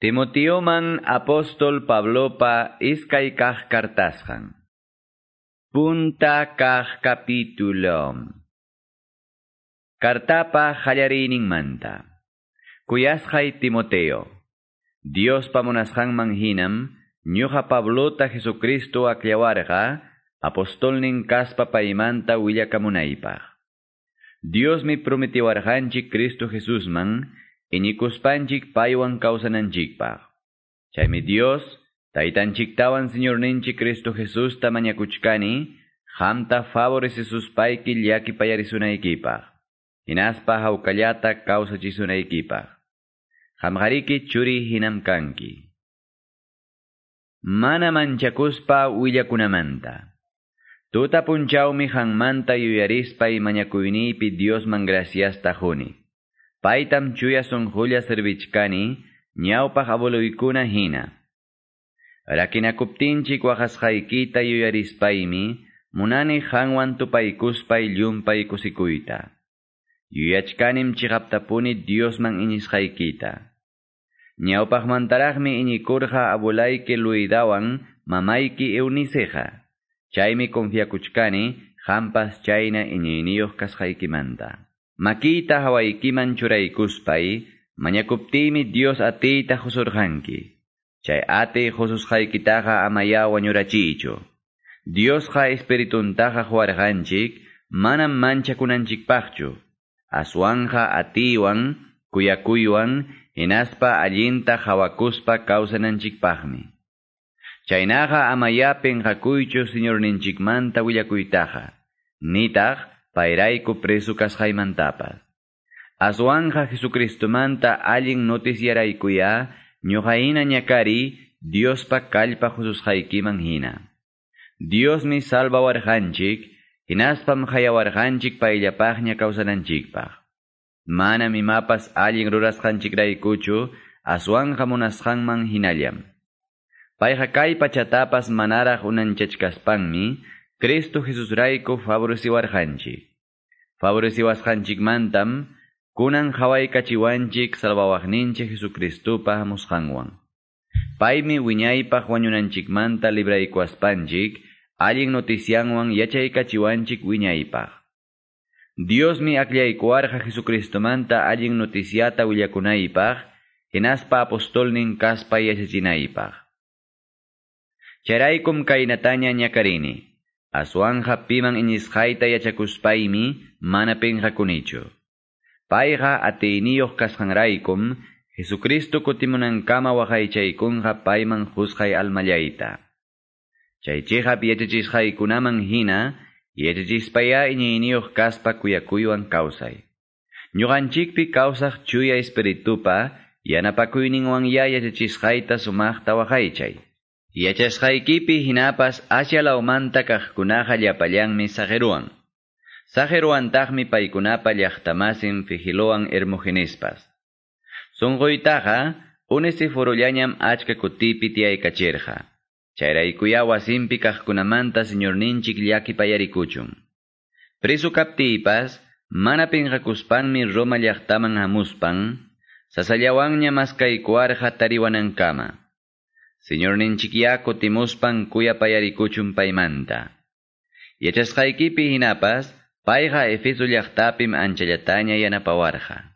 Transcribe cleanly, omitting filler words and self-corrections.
Timoteoman apóstol Pablopa iskay kaq kartasqan. Punta kaq capítulo. Kartapa qallariyninmanta. Kuyasqay Timoteo. Diospa munasqanman hinam, ñuqa Pablota Jesucristo akllawarqa, apostolnin kaspa paymanta willakamunaypaq. Diosmi prometiwarqanchik Cristo Jesusman, iñikuspanchik paywan kawsananchikpaq. Chaymi Dios, Taytanchiktawan Señorninchik Cristo Jesusta mañakuchkani, qamta favorecesuspayki llakipayarisunaykipaq. Hinaspa hawkallata kawsachisunaykipaq. Qamqariki churi hinam kanki. Mana manchakuspa willakunamanta. Tuta punchawmi qanmanta yuyarispay mañakuyniypi Diosman graciasta quni. Paytam chuya sunqulla servichkani, ñawpaq abueloykuna hina. Rakinakuptinchik waqasqaykita yuyarispaymi, munani qanwan tupaykuspay llumpay kusikuyta. Yuyachkanim chiqaptapuni Diosman iñisqaykita. Ñawpaqmantaraqmi iñikurqa abuelayki Loidawan mamayki Euniceqa. Chaymi confiakuchkani qampas chayna iñiyniyuq kasqaykimanta. Makiyta hawaykiman churaykuspay, mañakuptiymi Dios atiyta qusurqanki. Chay atiy qususqaykitaqa amaya wañurachiychu. Diosqa espirituntaqa quwarqanchik, manam manchakunanchikpaqchu. Aswanqa atiywan, kuyakuywan, hinaspa allinta hawakuspa kawsananchikpaqmi. Chaynaqa amaya pinqakuychu Señorninchikmanta willakuytaqa. Nitaq payrayku preso kasqaymantapas. Aswanja Jesucristomanta allin noticiaraykuya, ñuqahina ñakari, Diospa kallpa qususqaykiman hina. Diosmi salvawarqanchik, hinaspam hayawarqanchik payllapaqña kawsananchikpaq. Manam imapas allin rurasqanchikraykuchu, aswanja munasqanman hinallam. Payqa kay pachatapas manaraq unanchachkaspanmi, Cristo Jesusrayku favoreciwarqanchik. Favoreciwasqanchikmantam, kunan hawaykachiwanchik salvawaqninchik Jesucristopa hamusqanwan. Paymi wiñaypaq wañunanchikmanta libraykuwaspanchik, allin noticianwan yachaykachiwanchik wiñaypaq. Diosmi akllaykuwarqa Jesucristomanta allin noticiata willakunaypaq, hinaspa apostolnin kaspa yachachinaypaq. Chayraykum kaynataña ñakarini. Aswanja piman iñisqayta yachakuspaymi mana pinqakunichu. Payqa atiyniyuq kasqanraykum, Jesucristo kutimunankama waqaychaykunqa payman qusqay almallayta. Chay chiqap yachachisqaykunaman hina, yachachispaya iñiyniyuq kaspa kuyakuywan kawsay. Ñuqanchikpi kawsaq chuya espiritupa, yanapakuyninwan ya yachachisqayta sumaqta waqaychay. Yachasqaykipi hinapas Asia lawmanta kaqkunaqa llapallanmi saqiruwan. Saqiruwantaqmi paykunapa llaqtamasin Figilowan Hermogenespas. Sunquytaqa Onesiforollañam achka kutipi tiyaykachirqa. Chayraykuya wasinpi kaqkunamanta Señorninchik llakipayarikuchun. Preso kaptiypas, mana pinqakuspanmi Roma llaqtaman hamuspan, sasallawanña maskaykuwarqa tariwanankama. Señorninchikya kutimuspan kuyapayarikuchun paymanta. Yachasqaykipi hinapas, payqa Efeso llaqtapim anchallataña yanapawarqa.